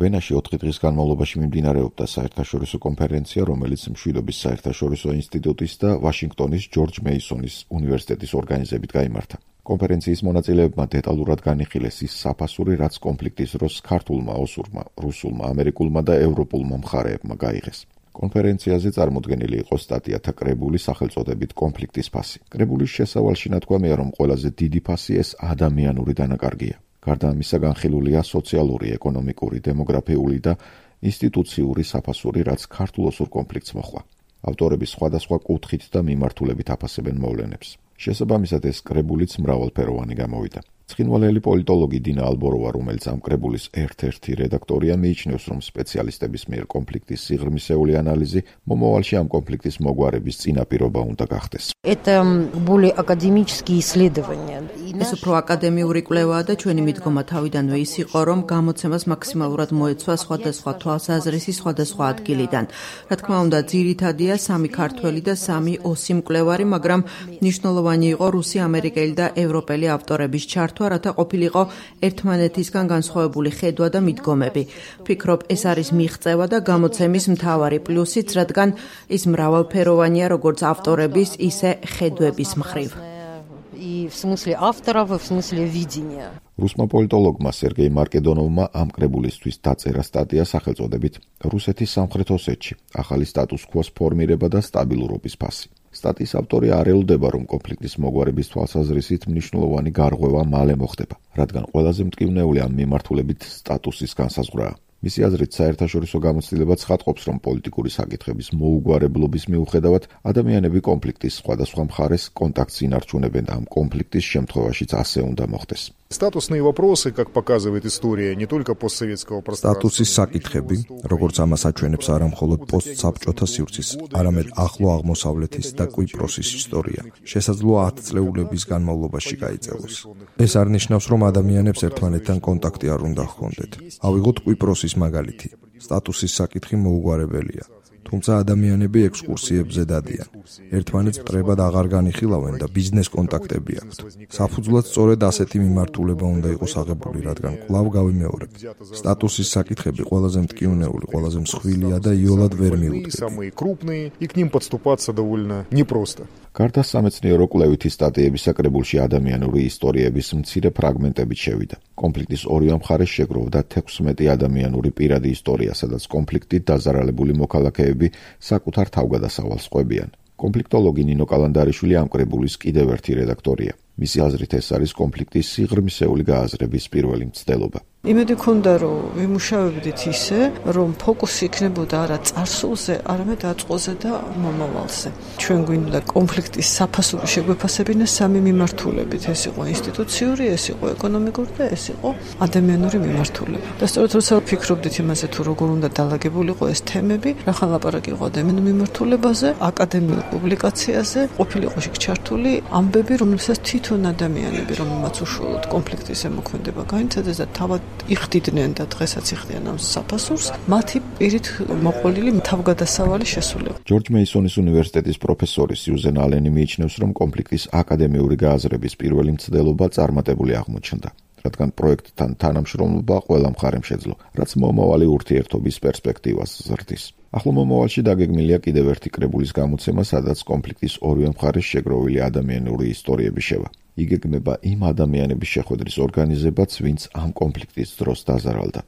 ვენაში 4 დღის განმავლობაში მიმდინარეობდა საერთაშორისო კონფერენცია, რომელიც მშვიდობის საერთაშორისო ინსტიტუტის და ვაშინგტონის ჯორჯ მეისონის უნივერსიტეტის ორგანიზებით გაიმართა. კონფერენციის მონაწილეებმა დეტალურად განიხილეს ის საფასური, რაც კონფლიქტის დროს ქართულმა, ოსურმა, რუსულმა, ამერიკულმა და ევროპულმა მხარეებმა გაიღეს. კონფერენციაზე წარმოდგენილი იყო სტატიათა კრებული სახელწოდებით კონფლიქტის ფასი. კრებულის შესავალში ნათქვამია, რომ ყველაზე დიდი ფასი ეს ადამიანური დანაკარგია. გარდა ამისა განხილულია სოციალური, ეკონომიკური, დემოგრაფიული და ინსტიტუციური საფასური, რაც ქართულ-ოსურ კონფლიქტს მოჰყვა. ავტორები სხვადასხვა კუთხით და მიმართულებით აფასებენ მოვლენებს. შესაბამისად ეს კრებულიც მრავალფეროვანი გამოვიდა. ცხინვალელი პოლიტოლოგი დინა ალბოროვა, რომელიც ამ კრებულის ერთ-ერთი რედაქტორია, მიიჩნევს, რომ სპეციალისტების მიერ კონფლიქტის სიღრმისეული ანალიზი მომავალში ამ კონფლიქტის მოგვარების წინაპირობა უნდა გახდეს. ეს უფრო აკადემიური კვლევაა და ჩვენი მიდგომა თავიდანვე ის იყო, რომ გამოცემას მაქსიმალურად მოეცვა სხვადასხვა თვალსაზრისი სხვადასხვა ადგილიდან. რა თქმა უნდა, ძირითადია 3 ქართველი და 3 ოსი მკვლევარი, მაგრამ მნიშვნელოვანი იყო რუსი, ამერიკელი და ევროპელი ავტორების ჩართვა, რათა ყოფილიყო ერთმანეთისგან განსხვავებული ხედვა და მიდგომები. ვფიქრობ, ეს არის მიღწევა და გამოცემის მთავარი პლუსიც, რადგან ის მრავალფეროვანია როგორც ავტორების, ისე ხედვების მხრივ. რუსმა პოლიტოლოგმა სერგეი მარკედონოვმა ამ კრებულისთვის დაწერა სტატია სახელწოდებით რუსეთის სამხრეთ ოსეთში ახალი სტატუს-კვოს ფორმირება და სტაბილურობის ფასი. სტატიის ავტორი არ ელოდება, რომ კონფლიქტის მოგვარების თვალსაზრისით მნიშვნელოვანი გარღვევა მალე მოხდება, რადგან ყველაზე მტკივნეული ამ მიმართულებით სტატუსის განსაზღვრაა. მისი აზრით, საერთაშორისო გამოცდილება ცხადყოფს, რომ პოლიტიკური საკითხების მოუგვარებლობის მიუხედავად ადამიანები კონფლიქტის სხვადასხვა მხარეს კონტაქტს ინარჩუნებენ და ამ კონფლიქტის შემთხვევაშიც ასე უნდა მოხდეს. Статусные вопросы, как показывает история, не только постсоветского пространства. Სტატუსის საკითხები, როგორც ამას აჩვენებს არა მხოლოდ პოსტსაბჭოთა სივრცის, არამედ ახლო აღმოსავლეთის და კვიპროსის ისტორია, შესაძლოა 10 წლეულების განმავლობაში გაიწელოს. ეს არ ნიშნავს, რომ ადამიანებს ერთმანეთთან კონტაქტი არ უნდა ჰქონდეთ. ავიღოთ კვიპროსის მაგალითი. სტატუსის საკითხი მოუგვარებელია. თუმცა ადამიანები ექსკურსიებზე დადიან. ერთმანეთს მტრებად აღარ განიხილავენ და ბიზნეს კონტაქტები აქვთ. საფუძვლად სწორედ ასეთი მიმართულება უნდა იყოს აღებული, რადგან კვლავ გავიმეორებ. სტატუსის საკითხები ყველაზე მტკივნეული, ყველაზე მსხვილია და იოლად ვერ მიუდგები. გარდა სამეცნიერო კვლევითი სტატიებისა კრებულში ადამიანური ისტორიების მცირე ფრაგმენტები შევიდა. კონფლიქტის ორივე მხარეს შეგროვდა 16 ადამიანური პირადი ისტორია, სადაც კონფლიქტით დაზარალებული მოქალაქეები საკუთარ თავგადასავალს ყვებიან. კონფლიქტოლოგი ნინო კალანდარიშვილი ამ კრებულის კიდევ ერთი რედაქტორია. მისი აზრით ეს არის კონფლიქტის სიღრმისეული გააზრების პირველი მცდელობა. იმედი მქონდა, რომ ვიმუშავებდით ისე, რომ ფოკუსი იქნებოდა არა წარსულზე, არამედ აწყოზე და მომავალზე. ჩვენ გვინდა კონფლიქტის საფასური შეგვეფასებინა 3 მიმართულებით. ეს იყო ინსტიტუციური, ეს იყო ეკონომიკური და ეს იყო ადამიანური მიმართულება. და სწორედ როცა ვფიქრობდით იმაზე, თუ როგორ უნდა დალაგებულიყო ეს თემები, რახან ლაპარაკი იყო ადამიანურ მიმართულებაზე, აკადემიურ პუბლიკაციაზე, ყოფილიყო ჩართული ამბები, რომელსაც თვითონ ადამიანები, რომელმაც უშუალოდ კონფლიქტის ზემოქმედება გაინცადეს და თავად იხდიდნენ და დღესაც იხდიან ამ საფასურს, მათი პირით მოყოლილი თავგადასავალი შესულება. ჯორჯ მეისონის უნივერსიტეტის პროფესორი სიუზენ ალენი მიიჩნევს, რომ კონფლიქტის აკადემიური გააზრების პირველი მცდელობა წარმატებული აღმოჩნდა, რადგან პროექტთან თანამშრომლობა ყველა მხარემ შეძლო, რაც მომავალი ურთიერთობის პერსპექტივას ზრდის. ახლო მომავალში დაგეგმილია კიდევ ერთი კრებულის გამოცემა, სადაც კონფლიქტის ორივე მხარეს შეგროვილი ადამიანური ისტორიები შევა. იგეგმება იმ ადამიანების შეხვედრის ორგანიზებაც, ვინც ამ კონფლიქტის დროს დაზარალდა.